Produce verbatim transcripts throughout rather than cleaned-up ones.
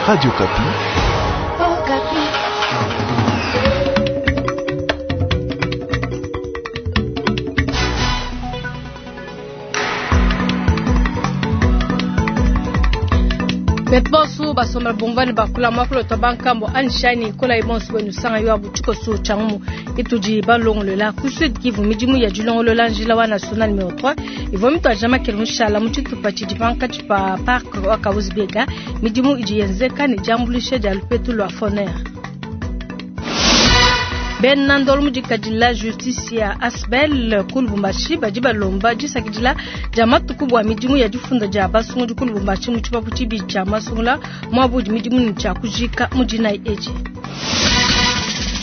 Radio Okapi. Oh, Okapi. Betu basomela bumvani bakula mwakula twa bankambo anishani kola ibonso bwenu sanga yo abuchiko su changumu itudi balongolola ku Sud Kivu midimu ya dilongolola njila wa national numéro trois ivua mitwa jama kele mushala mu tshitupa tshidi pankatshi pa parc wa Kahuzi-Biega midimu idi yenzeka ne diambuluisha dia lupetu lua FONER. Bena ndolo mudikadila justice ya Asbel ku Lubumbashi badi balomba disakidila dia matuku bua midimu ya difunda dia basungudi ku Lubumbashi mu tshipapu tshibidi tshia masungula muabudi midimu ne tshia kujika mu dinayi edi.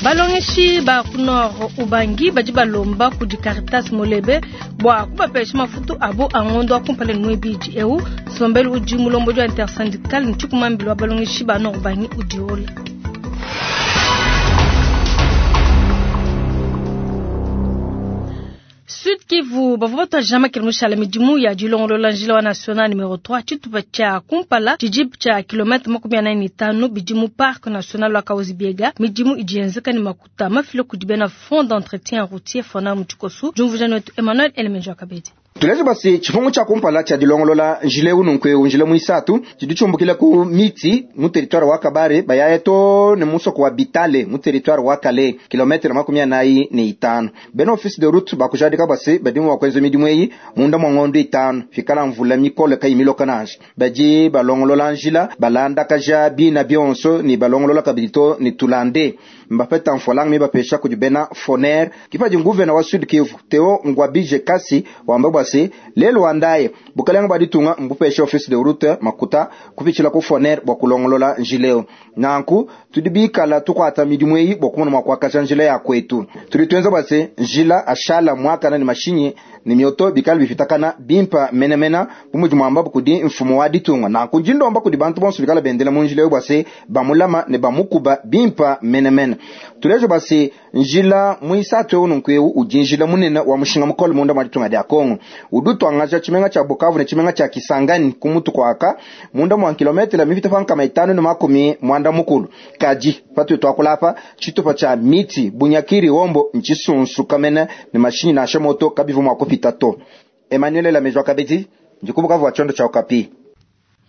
Balongeshi ba ku Nord Ubangi badi balomba kudi Caritas Molebe bua kubapesha mafutu abo a ngondo wa kumpala ne muibidi eu nsombelu udi mulombodi wa intersyndical ne tshikumambila wa balongeshi ba Nord Ubangi udiola. Sud Kivu bavua batwa kele mushala midimu ya dilongolola njila wa national numéro trois tshitupa tshia kumpala tshidi tshia kilomètre makumi anayi ne tanu bidi mu parc national wa Kahuzi-Biega midimu idi yenzeka ne makuta mafile kudi bena fond d'entretien routier fona mu tshikosu diumvuija wetu Emmanuel Elemenjo Kabedi. Tuleje basi tshifungu tshia kumpala tshia dilongolola njile ununku eu njile muisatu tshidi tshiumbukila ku miti mu territoire wa Kabare bayaya to ne musoko wa Bitale mu territoire wa Kale kilometre makumi anayi ne itanu. Bena office de route bakujadika basi badimu bakwenza midimu eyi munda mwa ngondo itanu fikala mvula mikole kayi miloka nansha badi balongolola njila balandakaja bina bionso ni balongolola kabidi to ni tulande mbapeta mfolanga mibapesha kudi bena foner kipadi nguvena wa Sud Kivu Theo Ngwabije Kasi wamba bwase lelo wandaye bukalanga baditunga mbupesha office de route makuta kupitshila ku foner bwa kulongolola njileo nanku tudi bikala tukwata midimu eyi bwa kumona mwakwakasha njila ya kwetu tudi twenza bwase njila ashala mwakana ni mashinyi ni mioto bikala bifitakana bimpa menemena bumudi mwamba kudi mfumo wa ditunga nanku njindomba kudi bantu bonso bikala bendela mu njila eyo bwase bamulama ne bamukuba bimpa menemena tulejo basi njila muisatu eu nunku eu udi njila munene wa mushinga mukole munda mwa ditunga dia Kongo udi utwangaja tshimenga tshia Bukavu ne tshimenga tshia Kisangani ku mutu kwaka munda mwa kilometela mipita pa nkama itanu ne makumi mwanda mukulu kadi patu twakulapa tshitupa tshia miti Bunyakiri Hombo ntshisunsuka mene ne mashinyi nansha moto kabivu mua kupita to. Emmanuel Lamejwa Kabedi ndikubukavu wa tshondo tshia Okapi.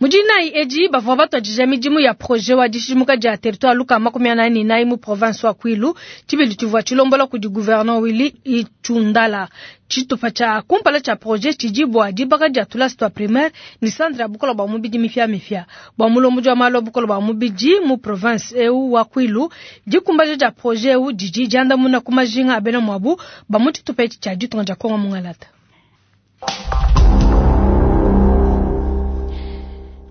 Mujinayi edi bavua batwadija midimu ya projet wa dishimuka dia territoire luka makumi anayi ne inayi mu province wa Kwilu tshibili tshivua tshilombola kudi gouverneur Willy Itshundala. Tshitupa tshia kumpala tshia projet tshidi bua dibaka dia tulasi tua primaire ni centre ya bukola bua mubidi mipia mipia bua mulombodi wa malu a bukola bua mubidi mu province eu wa Kwilu. Dikumbaja dia projet eu didi diandamuna ku majinga a bena muabu ba mu tshitupa etshi tshia ditunga dia Kongo Mungalata.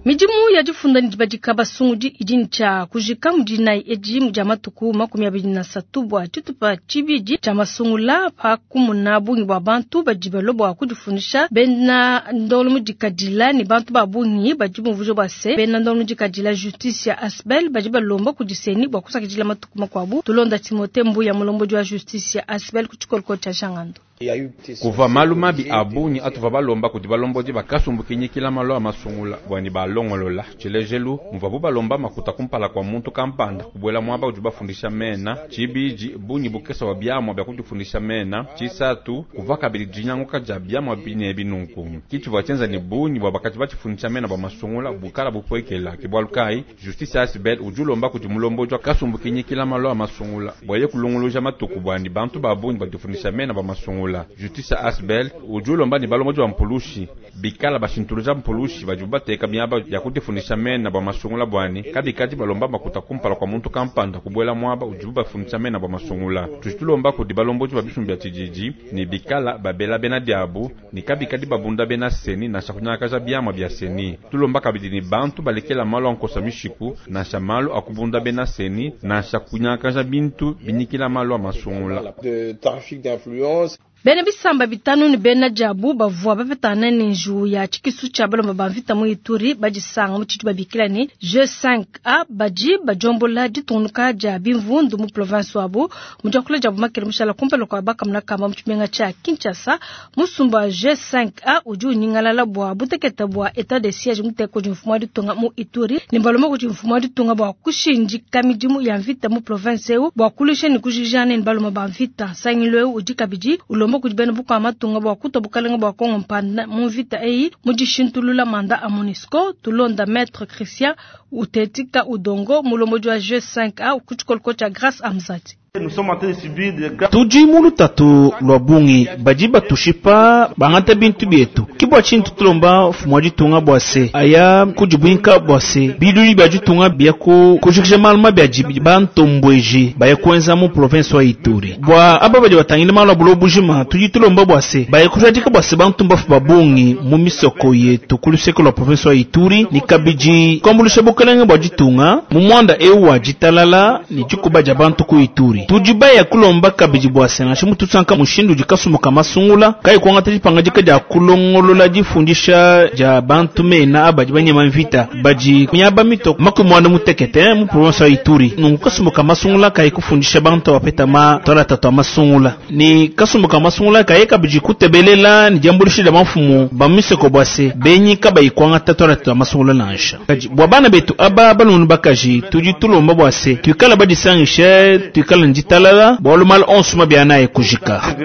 Midimu ya difunda ne dibadika basungudi idi ne tshia kujika mu dinayi edi dia matuku makumi abidi na asatu bua tshitupa tshibidi tshia masungula pa kumuna bungi bua bantu badi balua bua kudifundisha bena ndolo mudikadila ne bantu ba bungi badi bumvuija bua se bena ndolo mudikadila justice ya Asbel badi balomba kudi seni bua kusakidila matuku makuabu. Tulonda Timothée Mbuya mulombodi wa justice ya Asbel ku tshikoloko tshia Jangando. Kuva malu mabi a bungi atuva balomba kudi balombodi bakasumbukinyikila malu a masungula bwani balongolola tshilejelu muvabu balomba makuta kumpala kwa muntu kampanda kubuela muaba udi bafundisha mena tshibidi bungi bukesa wa biamua bya kudifundisha mena tshisatu kuva kabidi dinyanguka dia biamua bine binunku kitshivua tshienza ne bungi bua bakati batshifundisha mena bua masungula bukala bupuekela ke bualu kayi justice Asbel udi ulomba kudi mulombodi wa kasumbukinyikila malu a masungula bua kulongoloja matuku bwani bantu ba bungi badifundisha mena bua masungula. Justice Asbel udi ulomba ne balombodi ba mpulushi bikala bashintuluja mpulushi badi bateka miaba ya kudifundisha mena bua masungula bwani kabikadi balomba makuta kumpala kwa muntu kampanda kubuela muaba udibu bafundisha mena bua masungula. Tudi tulomba kudi balombodi ba bisumbu bia tshididi ne bikala babela bena diabu ne kabikadi babunda bena seni nansha kunyakaja biamua bia seni. Tulomba kabidi ne bantu balekela malu a nkosa mishiku nansha malu a kubunda bena seni nansha kunyakaja bintu binyikila malu a masungula. De trafic d'influence. Bena bisamba bitanu ne bena diabu bavua bapetana ne njiwu ya tshikisu tshia balomba ba mvita mu Ituri badisanga mu tshidi babikila ne G cinq A badi badiombola ditungunuka dia bimvundu mu province wabu mu diakula diabu makele mushala kumpala kua bakamuna kamba mu tshimenga tshia Kinshasa. Musumba G cinq A udi unyingalala bua butekete bua etat de siège muteka kudi mfumu wa ditunga mu Ituri ne balomba kudi mfumu wa ditunga bua kushindika midimu ya mvita mu province eu bua kulusha ne kujijana ne balomba ba mvita. Nsangilu eu udi kabidi ulomba kudi bena bukua matunga bua kutua bukalenga bua Kongo mpanda mu mvita eyi mu dishintulula manda a MONUSCO. Tulonda Maître Christian Utetika Udongo mulombodi wa G cinq A ku tshikoloko tshia Grâce Amzati. Tudi mu lutatu lwa bungi badi batushipa bangata bintu bietu kibwa tshintu tulomba mfumu wa ditunga bua se aya kudibwinka bua se biluli bia ditunga bia ku kujikija malu mabi adi bantombweji baya kuenza mu province wa Ituri bua aba badi batangile malu a buloba bujima tudi tulomba bua se baya kujadika bua se bantu mbafu ba bungi mu misoko yetu ku luseke lwa province wa Ituri ni kabidi kuambuluisha bukelenge bua ditunga mu mwanda eu wa ditalala ni dikuba dia bantu ku Ituri. Tudi baya kulomba kabidi bua se nansha mutusanka mushindu udi kasumbu masungula kayi kuangata dipangadika dia kulongolola difundisha dia bantu mena abadi banyema mvita badi miaba mito makumi muanda mutekete mu province ya Ituri. Nunku kasumbu masungula kayi kufundisha bantu bapeta ma twala tatu masungula ni kasumbu masungula kayi kabidi kutebelela ni diambulisha dia mafumu ba misoko bua se benyi kabayi kuangata twala tatu masungula nansha kadi bua bana betu aba balunu bakaji tudi tulomba bua se tuikala badisangishe tuikala nditalala bua lumal onso mabiana ekujika.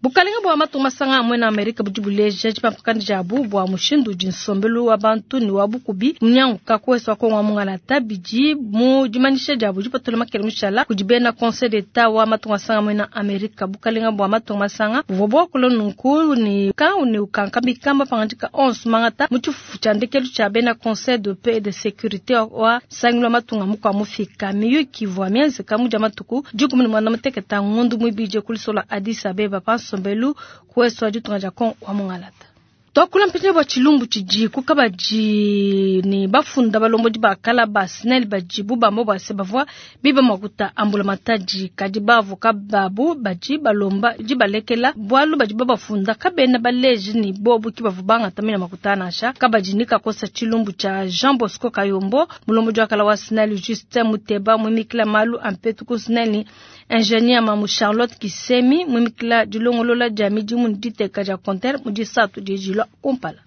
Bukalenga bua matunga masanga amwe na Amerika budi buleja dipampakana diabu bua mushindu udi nsombelu wa bantu ne wa bukubi munyanguka kuwesa wa Kongo wa mungalata bidi mu dimanyisha diabu dipatula makele mushala kudi bena Conseil d'Etat wa matunga masanga amwe na Amerika. Bukalenga bua matunga masanga buvua buakula nunku ne ka ne ukankamika mapangadika onso mangata mu tshifufu tshia ndekelu tshia bena Conseil de paix et de sécurité wa nsangilu wa matunga mukua mufika miyuki ivua mienzeka mu dia matuku dikumi ne muanda mutekete ngondu muibidi kulisola Addis Abeba pa nsombelu kuwesa ditunga dia Kongo wa mungalata. Twakula mpindieu bua tshilumbu tshidi kukabadi ne bafunda balombodi ba kala ba SNEL badi bubamba bua se bavua biba makuta ambula matadi kadi bavoka babu badi balomba dibalekela bualu badi babafunda kabena baleji ni bobu ki bavua bangata mena makuta nansha kabadi ni kakosa tshilumbu tshia Jean Bosco Kayombo mulombodi wa kala wa SNEL Justin Muteba mwimikila malu ampetu ku SNEL ni ingénieur Mamu Charlotte Kisemi mwimikila dilongolola dia midimu ni diteka dia compteur mu disatu dijilwa kumpala.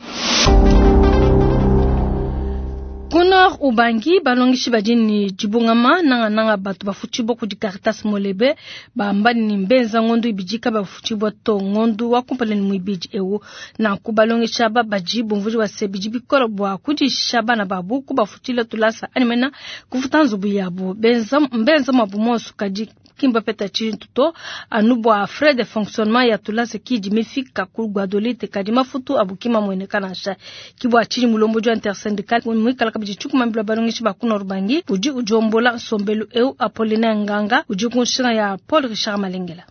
Ku Nord Ubangi balongeshi badi ni dibungama nanga nanga batu bafutshibwa kudi Caritas Molebe bamba ni mbenza ngondu ibidi ka bafutshibwa to ngondu wa kumpala ni muibidi eu na kubalongesha aba badi bumvuji wa se bidi bikola bua kudisha bana babu kubafutshila tulasa animena kufuta nzubu yabu benza mbenza mabu monso kadi kimba peta tshintu to anu bua frais de fonctionnement ya tulasa kidi mifika ku Guadolite kadi mafutu abukima mwene nansha kibwa chini mulombo wa intersyndical mwikala kabidi chukumambila balongeshi ba ku Nord Ubangi udi ujombola nsombelu eu Apollinaire Nganga udi kunshina ya Paul Richard Malengela.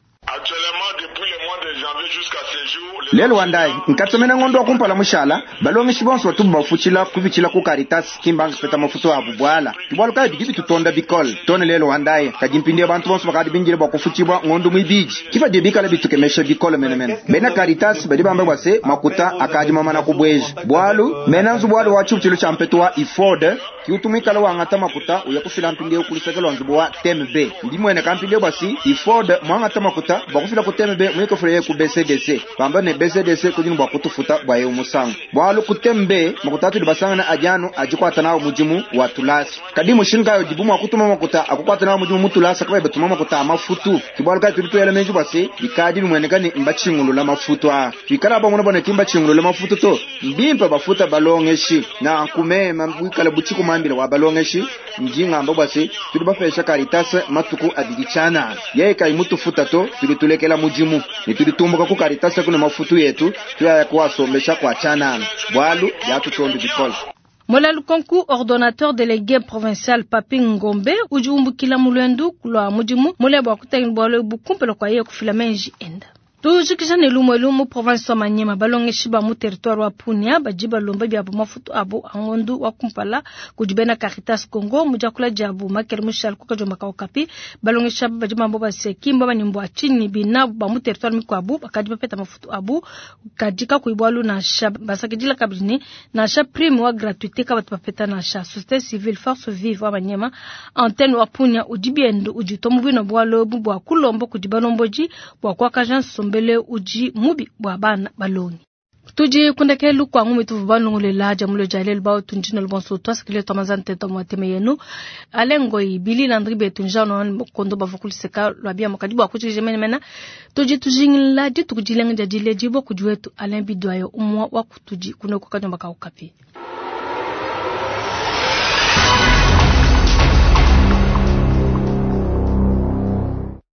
Lelo wandai nkatsomena ngondo wa kumpala mushala balongeshi bonso batubu bafutshila kupitshila ku Caritas kimbanga peta mafutu abu bwala tibwalu kayi bidi bitutonda bikole tone lelo wandai kadi mpindieu bantu bonso bakadi bingile bua kufutshibwa ngondo muibidi kifa dibikala bitukemesha bikole menemene bena Caritas badi bamba bua se makuta akadi mamana kubweja bwalu mena nzubu walu wa tshibutshilo tshia mpetu wa Iford kiutumikala wangata makuta uya kufila mpindieu kulisekela nzubu wa T M B ndimwene kampindieu basi Iford mwangata makuta bakufila ku T M B mwikofula ku B C D C bamba ne B C D C kudini bua kutufuta bua eu musangu bwalu ku T M B makuta atudi basangana adianu adikwata nawo mudimu wa tulasa kadi mushindu kayo dibu mua kutuma makuta akukwata nawo mudimu mutulasa kabaye batuma makuta amafutu kibwalu kayi tudi tuyela menji bua se bikadi bimweneka ni mbatshingulula mafutu a twikala bangona bona ki mbatshingulula mafutu to mbimpe bafuta balongeshi na nkumema bwikala butshiku mambila wa balongeshi ndingamba bua se tudi bapesha Caritas matuku abidi tshianana yeye kayi mutufuta to tudi tulekela mudimu ne tudi tumbuka ku Caritas kuna mafutu yetu tuyaya kuwasombesha kwa tshianana bwalu byatutondi bikole. Mola Lukonku, ordonnateur délégué provincial Papi Ngombe udi umbukila mulwendu lwa mudimu mule bua kutangila bwalu bukumpela kwa yeye kufila menji enda. Tujikija ne lumue lumu province wa Maniema balongeshi ba mu territoire wa Punia badi balomba biabu mafutu abu a ngondu wa kumpala kudi bena Caritas Congo mu diakula diabu Makele Mushal ku kajomba ka Okapi. Balongeshi aba badi bamba base kimba banimbu tshinyi binabu ba mu territoire mikuabu bakadi bapeta mafutu abu kadi kakuyi bualu nansha basakidila kabidi ne nansha prime wa gratuité kabatu bapeta nansha. Société civile force vive wa Maniema antenne wa Punia udi biendu udi tomu bwino bualu bua kulomba kudi balomboji bua kuakaja nsombelu udi mubi bua bana balongi. Tudi kundekelu kwa ngumi tuvu balongolela jamulo jalelu bao tunjina lubonso twasikile twamazante tento mwateme yenu alengo ibili landri betu njano kondo bavukuliseka lwabia makadi bwa kuchije mena mena tudi tujingila dituku jilenga jadile jibo kujuetu Alain Bidwayo umwa wa kutuji kunoko kanyomba ka Okapi.